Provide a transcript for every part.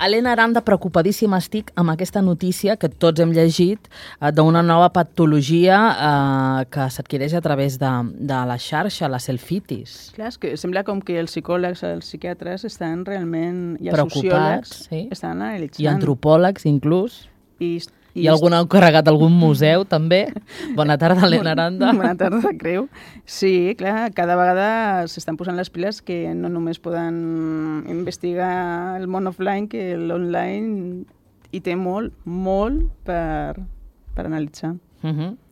Helena Aranda, preocupadíssima estic amb aquesta notícia que tots hem llegit d'una nova patologia que s'adquireix a través de la xarxa, la selfitis. Clar, és que sembla com que els psicòlegs, els psiquiatres estan realment... I els preocupats, sociòlegs estan analitzant. I antropòlegs, inclús. I algun ha encarregat algun museu, també. Bona tarda, Helena Aranda. Bona tarda, Creu. Sí, clar, cada vegada s'estan posant les piles que no només poden investigar el món offline, que l'online hi té molt per analitzar.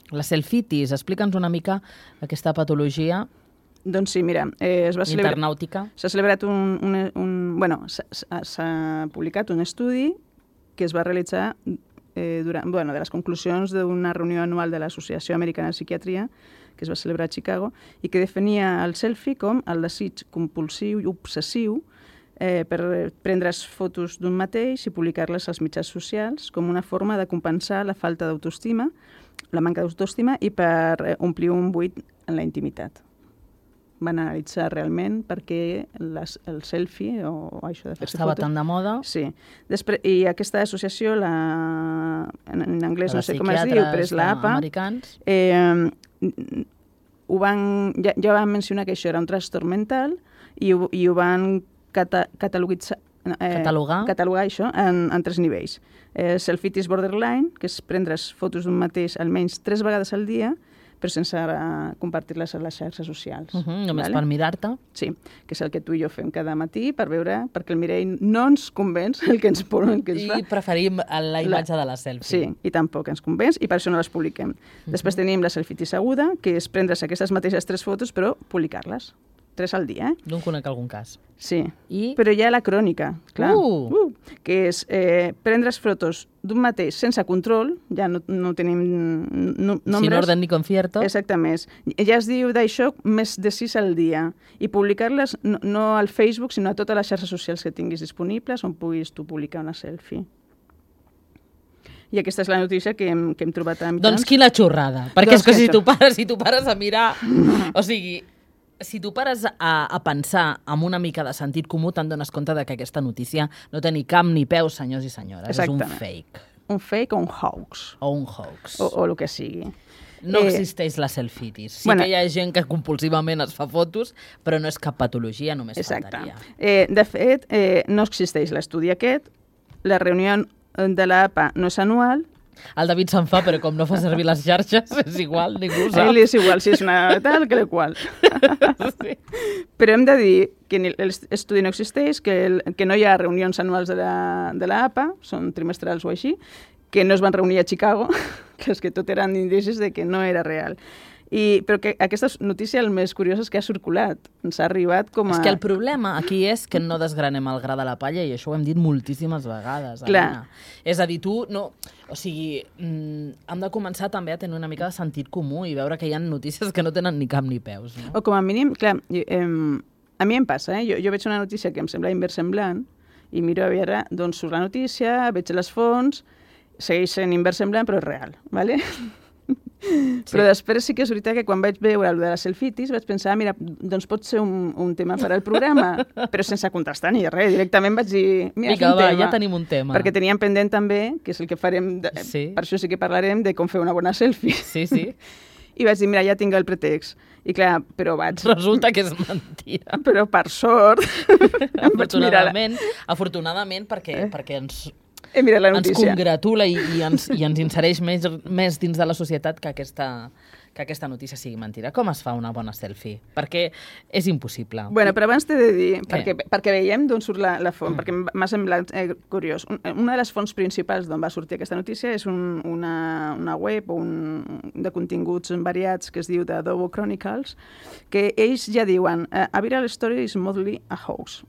La selfitis, explica'ns una mica aquesta patologia. Doncs sí, mira, es va celebrar... Internàutica. S'ha celebrat s'ha publicat un estudi que es va realitzar de les conclusions d'una reunió anual de l'Associació Americana de Psiquiatria, que es va celebrar a Chicago, i que definia el selfie com el desig compulsiu i obsessiu per prendre's fotos d'un mateix i publicar-les als mitjans socials com una forma de compensar la falta d'autoestima, la manca d'autoestima i per omplir un buit en la intimitat. Van analitzar realment per què el selfie o això de fer-se estava fotos... tan de moda. Sí. I aquesta associació, en anglès no sé com es diu, però és l'APA, ja van mencionar que això era un trastorn mental i ho van catalogar això en 3 nivells. Selfitis borderline, que és prendre's fotos d'un mateix almenys 3 vegades al dia, però sense compartir-les a les xarxes socials. Només per mirar-te. Sí, que és el que tu i jo fem cada matí per veure, perquè el mirall no ens convenç el que ens fa. I preferim la imatge de la selfie. Sí, i tampoc ens convenç, i per això no les publiquem. Després tenim la selfitis aguda, que és prendre's aquestes mateixes 3 fotos, però publicar-les. 3 al dia, No en conec algun cas. Sí, però hi ha la crònica, clar, que és prendre's fotos d'un mateix sense control, ja no tenim nombres. Sin orden ni concierto. Exactament. Ja es diu d'això més de 6 al dia. I publicar-les no al Facebook, sinó a totes les xarxes socials que tinguis disponibles on puguis tu publicar una selfie. I aquesta és la notícia que hem trobat a mitjans. Doncs quina xorrada. Perquè és que si tu pares a mirar... O sigui... Si tu pares a pensar amb una mica de sentit comú, te'n dones compte de que aquesta notícia no té ni cap ni peus, senyors i senyores. Exactament. És un fake. Un fake o un hoax. O un hoax. O el que sigui. No existeix la selfitis. Sí que hi ha gent que compulsivament es fa fotos, però no és cap patologia, només faltaria. De fet, no existeix l'estudi aquest, la reunió de l'APA no és anual. El David se'n fa, però com no fa servir les xarxes, és igual, ningú ho sap. Ell és igual, si és una tal que la qual. Sí. Però hem de dir que l'estudi no existeix, que no hi ha reunions anuals de l'APA, són trimestrals o així, que no es van reunir a Chicago, que és que tot eren indicis de que no era real. Però que aquesta notícia el més curiós és que ha circulat, ens ha arribat com a... És que el problema aquí és que no desgranem el gra de la palla, i això ho hem dit moltíssimes vegades. Clar. És a dir, tu no... O sigui, hem de començar també a tenir una mica de sentit comú i veure que hi ha notícies que no tenen ni cap ni peus. No? O com a mínim, clar, a mi em passa, jo veig una notícia que em sembla inversemblant i miro a veure d'on surt la notícia, veig les fonts, segueix sent inversemblant però és real, ¿vale? Sí. Però després sí que és veritat que quan vaig veure el de la selfitis vaig pensar, mira, doncs pot ser un tema per al programa, però sense contrastar ni res. Directament vaig dir, mira, és un tema. Ja tenim un tema. Perquè teníem pendent també, que és el que farem, per això sí que parlarem de com fer una bona selfie. Sí, sí. I vaig dir, mira, ja tinc el pretext. I clar, però resulta que és mentira. Però per sort... Afortunadament, perquè ens notícia. Congratula i ens insereix més dins de la societat que aquesta notícia sigui mentira. Com es fa una bona selfie? Perquè és impossible. Bueno, però abans t'he de dir, perquè veiem d'on surt la font, perquè m'ha semblat curiós. Una de les fonts principals d'on va sortir aquesta notícia és una web de continguts variats que es diu The Adobe Chronicles, que ells ja diuen a viral story is mostly a hoax.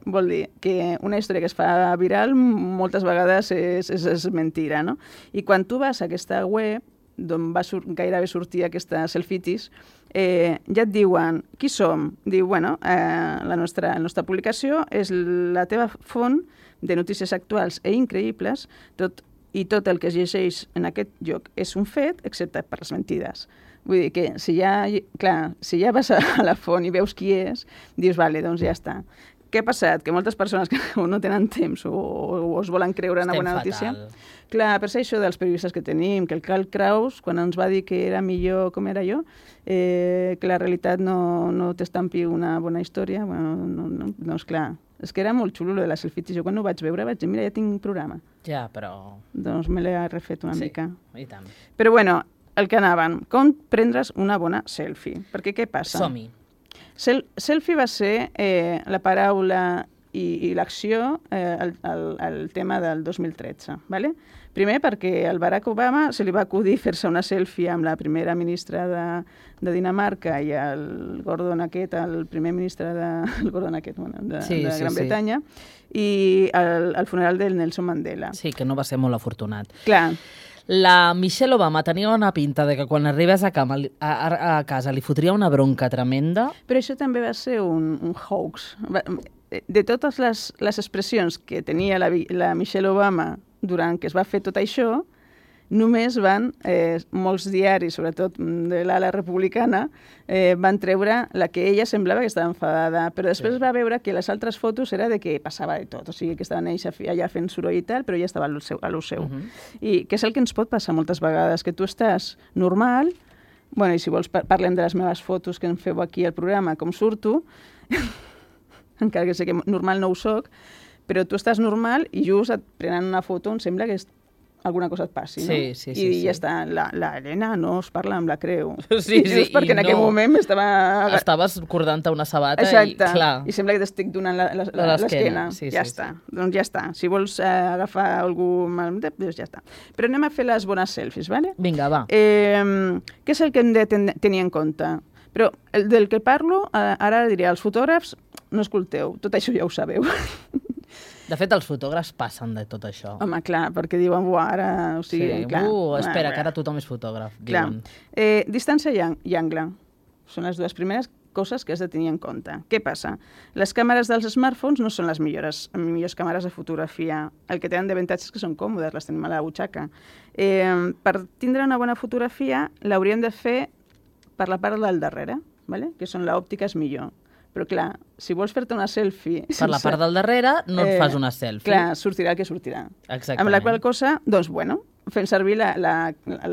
Vol dir que una història que es fa viral moltes vegades és mentira, no? I quan tu vas a aquesta web d'on va gairebé sortir aquesta selfitis, ja et diuen qui som. Diu, bueno, la nostra publicació és la teva font de notícies actuals i increïbles, tot el que es llegeix en aquest lloc és un fet, excepte per les mentides. Vull dir que si ja vas a la font i veus qui és, dius, vale, doncs ja està. què ha passat? Que moltes persones que no tenen temps o es volen creure una bona notícia... Clar, per ser això dels periodistes que tenim, que el Karl Kraus, quan ens va dir que era millor com era jo, que la realitat no t'estampi una bona història, bueno, doncs clar, és que era molt xulo, de la selfie. Jo quan ho vaig veure vaig dir, mira, ja tinc un programa. Ja, però... Doncs me l'he refet una mica. Sí, i tant. Però bueno, el que anaven, com prendre's una bona selfie? Perquè què passa? Som-hi. Selfie va ser la paraula i l'acció el tema del 2013, ¿vale? Primer perquè al Barack Obama se li va acudir fer-se una selfie amb la primera ministra de Dinamarca i el Gordon aquest, el primer ministre de Gran Bretanya, i al funeral del Nelson Mandela. Sí, que no va ser molt afortunat. Clar. La Michelle Obama tenia una pinta de que quan arribés a casa li fotria una bronca tremenda. Però això també va ser un hoax. De totes les expressions que tenia la Michelle Obama durant que es va fer tot això, només van, molts diaris, sobretot de l'ala republicana, van treure la que ella semblava que estava enfadada, però després va veure que les altres fotos era de que passava de tot, o sigui, que estaven ells allà fent soroll i tal, però ella estava a lo seu. I que és el que ens pot passar moltes vegades, que tu estàs normal, bueno, i si vols parlem de les meves fotos que em feu aquí al programa, com surto, encara que sé que normal no ho soc, però tu estàs normal i just et prenen una foto on sembla que alguna cosa et passi, no? Sí. I ja està, la Helena no es parla amb la creu. Sí, just perquè en aquell moment estaves cordant-te una sabata. Exacte. I clar... I sembla que t'estic donant l'esquena. Sí, ja està. Doncs ja està. Si vols agafar algú mal, doncs ja està. Però anem a fer les bones selfies, ¿vale? Vinga, va. Què és el que hem de tenir en compte? Però del que parlo, ara diré als fotògrafs, no escolteu, tot això ja ho sabeu. De fet, els fotògrafs passen de tot això. Home, clar, perquè diuen, ara... O sigui, sí, clar, espera, que ara tothom és fotògraf. Clar. Distància i angle. Són les dues primeres coses que has de tenir en compte. Què passa? Les càmeres dels smartphones no són les millors càmeres de fotografia. El que tenen d'avantatge és que són còmodes, les tenim a la butxaca. Per tindre una bona fotografia l'hauríem de fer per la part del darrere, ¿vale? Que són l'òptica és millor. Però clar, si vols fer-te una selfie... Per la part del darrere no et fas una selfie. Clar, sortirà el que sortirà. Exactament. Amb la qual cosa, doncs, bueno, fem servir la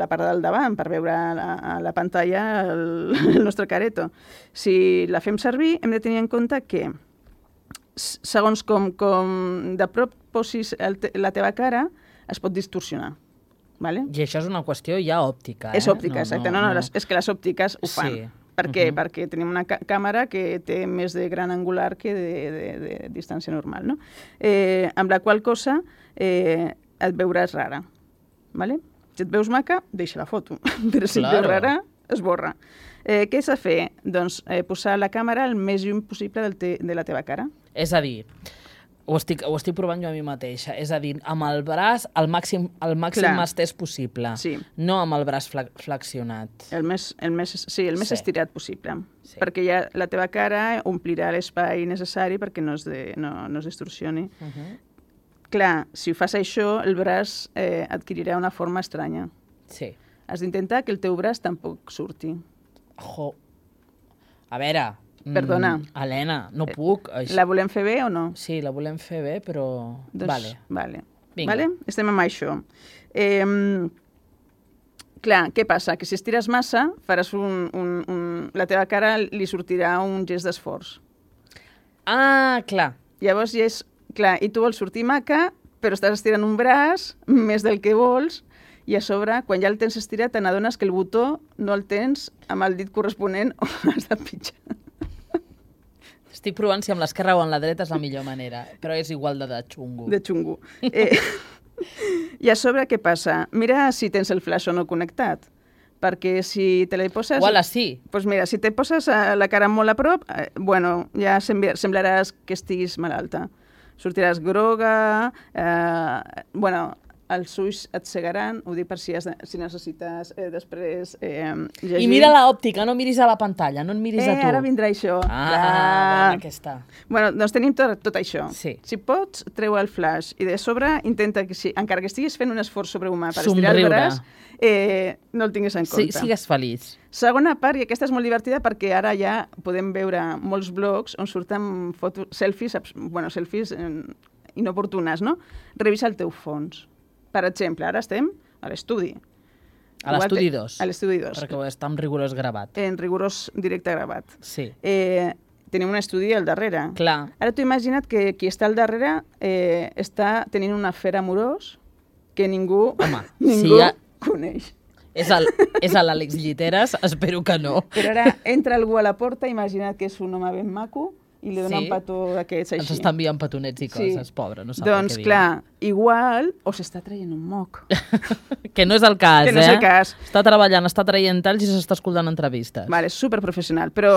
part del davant per veure a la pantalla el nostre careto. Si la fem servir, hem de tenir en compte que, segons com de prop posis la teva cara, es pot distorsionar. ¿Vale? I això és una qüestió ja òptica. És òptica, exacte. No, és que les òptiques ho fan. Sí. Per què? Perquè tenim una càmera que té més de gran angular que de distància normal, no? Amb la qual cosa et veuràs rara, ¿vale? Si et veus maca, deixa la foto, però si et veus rara, esborra. Què s'ha de fer? Doncs posar la càmera el més lluny possible de la teva cara. És a dir, ho estic provant jo a mi mateixa. És a dir, amb el braç el màxim estès possible. Sí. No amb el braç flexionat. El més estirat possible. Sí. Perquè ja la teva cara omplirà l'espai necessari perquè no es distorsioni. Clar, si fas això, el braç adquirirà una forma estranya. Sí. Has d'intentar que el teu braç tampoc surti. A veure... Perdona. Helena, no puc. La volem fer bé o no? Sí, la volem fer bé, però... Doncs, vale. Vale? Estem amb això. Clar, què passa? Que si estires massa, faràs la teva cara li sortirà un gest d'esforç. Ah, clar. Llavors ja és... Clar, i tu vols sortir maca, però estàs estirant un braç més del que vols, i a sobre, quan ja el tens estirat, te n'adones que el botó no el tens amb el dit corresponent o has de pitjar. Estic provant si amb l'esquerra o amb la dreta és la millor manera, però és igual de xungo. De xungo. I a sobre, què passa? Mira si tens el flash o no connectat, perquè si te la poses... Uala, sí. Doncs mira, si te poses la cara molt a prop, bueno, ja semblaràs que estiguis malalta. Sortiràs groga, bueno, els ulls et cegaran, ho dic per si necessites després llegir. I mira l'òptica, no miris a la pantalla, no et miris a tu. Ara vindrà això. Bona aquesta. Bueno, doncs tenim tot això. Sí. Si pots, treu el flash i de sobre intenta que, encara que estiguis fent un esforç sobrehumà per estirar el braç, no el tinguis en compte. Sí, sigues feliç. Segona part, i aquesta és molt divertida perquè ara ja podem veure molts blogs on surten selfies inoportunes, no? Revisa el teu fons. Per exemple, ara estem a l'estudi. A l'estudi 2. A l'estudi 2. Perquè està en rigorós gravat. En rigorós directe gravat. Sí. Tenim un estudi al darrere. Clar. Ara t'ho imagina't que qui està al darrere està tenint un afer amorós que ningú coneix. És l'Àlex Lliteres? Espero que no. Però ara entra algú a la porta, imagina't que és un home ben maco, i li dona un petó d'aquests així. Ens està enviant petonets i coses, pobre, no sap doncs, què dir. Clar, igual, o s'està traient un moc. Que no és el cas, que no és el cas. Està treballant, està traient talls i s'està escoltant entrevistes. Vale, superprofessional, però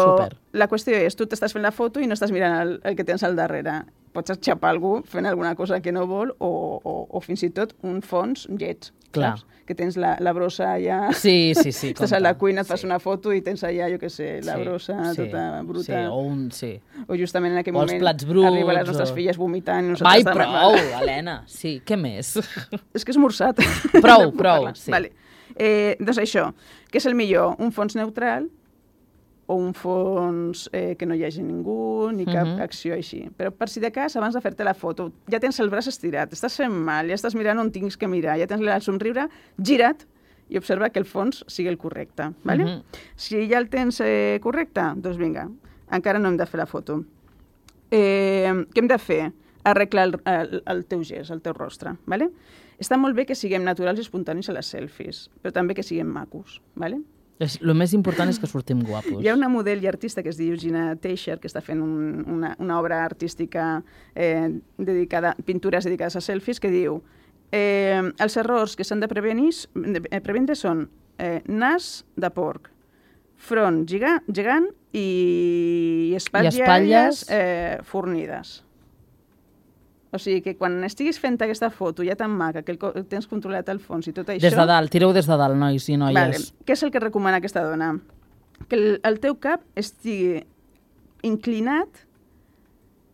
la qüestió és, tu t'estàs fent la foto i no estàs mirant el que tens al darrere. Pots xapar algú fent alguna cosa que no vol o fins i tot un fons lleig. Clar. Saps? Que tens la brossa allà... Sí. Estàs a la cuina, et fas una foto i tens allà, jo què sé, la brossa tota bruta. O justament en aquell moment arriben les nostres filles vomitant. Vai, prou, Helena. Sí, què més? És que és esmorzat. Prou, sí. Vale. Doncs això, què és el millor? Un fons neutral o un fons que no hi hagi ningú, ni cap acció així. Però per si de cas, abans de fer-te la foto, ja tens el braç estirat, estàs fent mal, ja estàs mirant on tinguis que mirar, ja tens el somriure, gira't i observa que el fons sigui el correcte. Vale? Si ja el tens correcte, doncs vinga, encara no hem de fer la foto. Què hem de fer? Arreglar el teu gest, el teu rostre. Vale? Està molt bé que siguem naturals i espontanis a les selfies, però també que siguem macos. Vale? El més important és que sortim guapos. Hi ha una model i artista que es diu Gina Teixeira, que està fent una obra artística pintures dedicades a selfies, que diu els errors que s'han de previndre són nas de porc, front gegant i espatlles fornides. O sigui que quan estiguis fent aquesta foto ja tan maca, que tens controlat el fons i tot això... Des de dalt, tireu des de dalt, nois i noies. Vale. Què és el que recomana aquesta dona? Que el teu cap estigui inclinat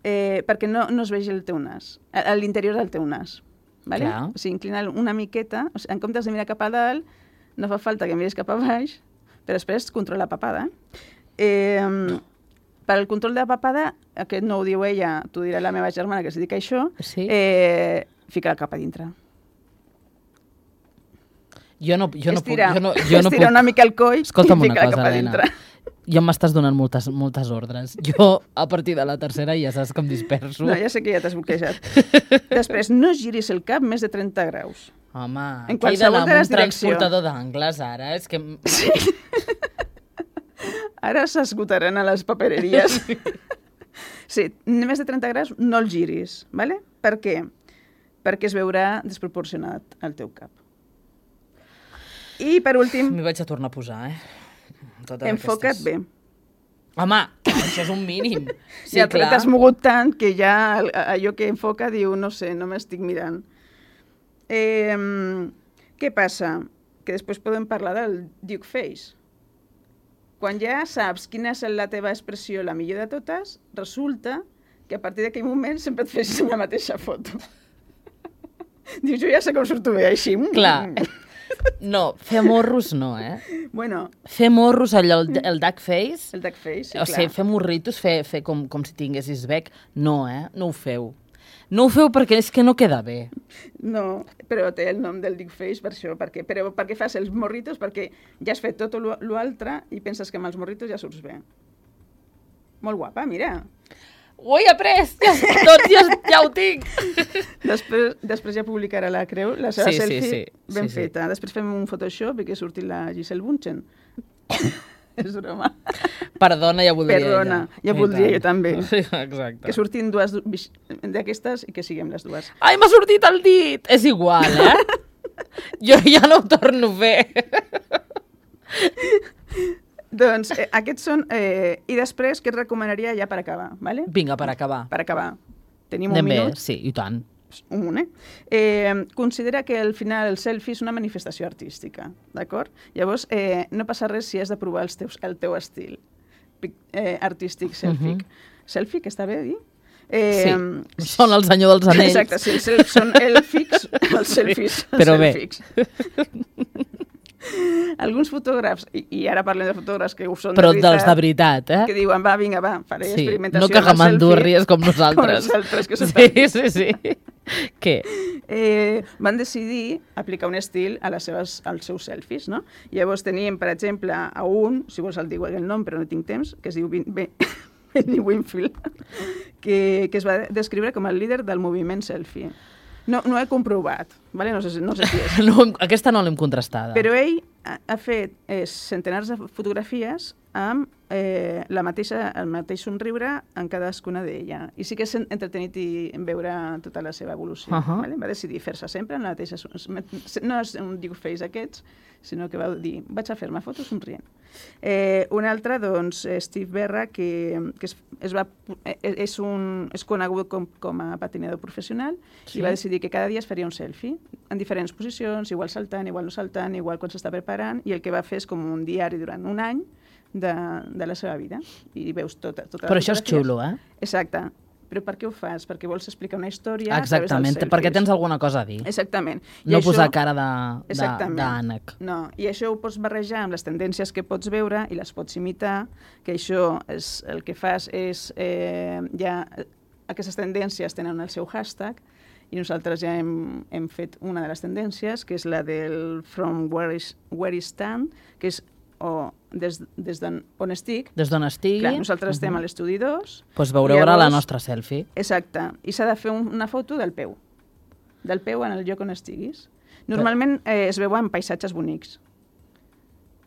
perquè no es vegi el teu nas, a l'interior del teu nas. Vale? O sigui, inclinar una miqueta, o sigui, en comptes de mirar cap a dalt, no fa falta que miris cap a baix, però després controla la papada. Per al control de la papada, aquest no ho diu ella, t'ho dirà la meva germana que es dedica a això, fica el cap a dintre. Jo no puc... Estira una mica el coll i fica el cap a dintre. Ja m'estàs donant moltes ordres. Jo, a partir de la tercera, ja saps que em disperso. No, ja sé que ja t'has bloquejat. Després, no giris el cap més de 30 graus. Home, aquí he d'anar amb un transportador d'angles, ara. És que... Sí. Ara s'esgotaran a les papereries. Sí, més de 30 graus no el giris, ¿vale? Per què? Perquè es veurà desproporcionat al teu cap. I per últim... M'hi vaig a tornar a posar, Enfoca't bé. Home, això és un mínim. Sí, ja t'has mogut tant que ja allò que enfoca diu, no sé, no m'estic mirant. Què passa? Que després podem parlar del Duke Face. Quan ja saps quina és la teva expressió la millor de totes, resulta que a partir d'aquell moment sempre et fes la mateixa foto. Dius, jo ja sé com surto bé així. Clar. No, fer morros no, Bueno. Fer morros, allò, el duck face. El duck face, sí, clar. O sigui, fer morritos, fer com si tinguessis bec, no, no ho feu. No ho feu perquè és que no queda bé. No, però té el nom del Duck Face per això. Però perquè fas els morritos, perquè ja has fet tot l'altre i penses que amb els morritos ja surts bé. Molt guapa, mira. Ho he après! Ja ho tinc! Després ja publicarà la Creu, la seva selfie ben feta. Després fem un Photoshop i que surti la Giselle Bundchen. És broma. Perdona, ja voldria ella. Ja voldria jo també. Sí, exacte. Que surtin dues d'aquestes i que siguem les dues. Ai, m'ha sortit el dit! És igual, Jo ja no ho torno a fer. Doncs aquests són... I després, què et recomanaria ja per acabar? Vale? Vinga, per acabar. Per acabar. Tenim un minut. Sí, i tant. un, considera que al final el selfie és una manifestació artística, d'acord? Llavors, no passa res si has de provar el teu estil artístic selfie. Selfie, que està bé dir? Sí, són el senyor dels anells. Exacte, sí, són èlfics, els selfies. Però bé. Alguns fotògrafs, i ara parlem de fotògrafs que ho són però dels de veritat, que diuen, va, vinga, va, faré experimentació no que gamandurries com nosaltres. Com nosaltres, que sí. Què? Van decidir aplicar un estil als seus selfies, no? Llavors teníem, per exemple, a un, si vols el dic el nom, però no tinc temps, que es diu Benny Winfield, que es va descriure com el líder del moviment selfie. No ho he comprovat, vale? No sé si és. Aquesta no l'hem contrastada. Però ell ha fet centenars de fotografies amb el mateix somriure en cadascuna d'ella. I sí que és entretenit veure tota la seva evolució. Vale? Va decidir fer-se sempre en la mateixa... No és un diu face aquests, sinó que va dir, vaig a fer-me fotos somrient. Un altre, doncs, Steve Berra, que és conegut com a patinador professional, i va decidir que cada dia es faria un selfie, en diferents posicions, igual saltant, igual no saltant, igual quan s'està preparant, i el que va fer és com un diari durant un any de la seva vida. I veus tota però això és xulo, eh? Exacte. Però per què ho fas? Perquè vols explicar una història a través dels selfies. Perquè tens alguna cosa a dir. Exactament. No posar cara d'ànec. No, i això ho pots barrejar amb les tendències que pots veure i les pots imitar, que això el que fas és... Aquestes tendències tenen el seu hashtag, i nosaltres ja hem fet una de les tendències, que és la del From Where I Stand, que és des d'on estic. Des d'on estigui. Clar, nosaltres estem a l'estudi 2. Doncs veureu ara la nostra selfie. Exacte. I s'ha de fer una foto del peu. Del peu en el lloc on estiguis. Normalment es veuen paisatges bonics.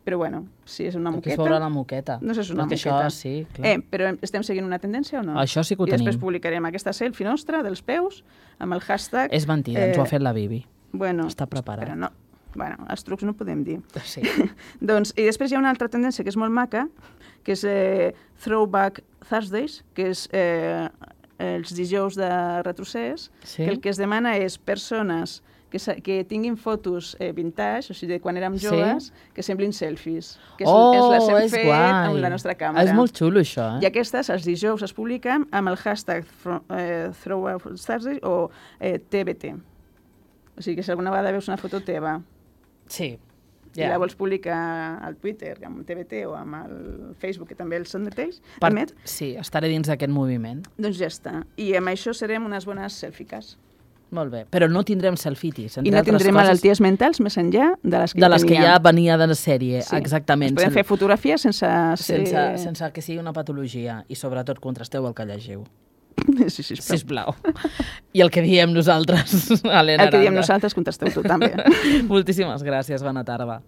Però bueno, si és una moqueta... Aquí es veurà la moqueta. No sé si és una moqueta. Això sí, clar. Però estem seguint una tendència o no? Això sí que ho tenim. I tenim. després publicarem aquesta selfie nostra dels peus amb el hashtag... És mentida, ens ho ha fet la Bibi. Bueno, està preparat. Però no. Bueno, els trucs no podem dir. Sí. Doncs, i després hi ha una altra tendència que és molt maca, que és Throwback Thursdays, que és els dijous de retrocés, que el que es demana és persones que tinguin fotos vintage, o sigui, de quan érem joves, que semblin selfies. Que les hem fet amb la nostra càmera. És molt xulo, això. I aquestes, els dijous, es publiquen amb el hashtag Throwback Thursdays o TBT. O sigui, que si alguna vegada veus una foto teva, sí. I la vols publicar al Twitter, amb TBT o amb el Facebook, que també els són mateix, sí, estaré dins d'aquest moviment. Doncs ja està. I amb això serem unes bones selfies. Molt bé, però no tindrem selfitis. I no tindrem malalties mentals més enllà de les que de les que ja venia de la sèrie, sí. Exactament. Podem fer fotografies sense que sigui una patologia i sobretot contrasteu el que llegiu. Sí, sisplau. I el que diem nosaltres, Helena Aranda. El que diem nosaltres, contesteu tu també. Moltíssimes gràcies, bona tarda.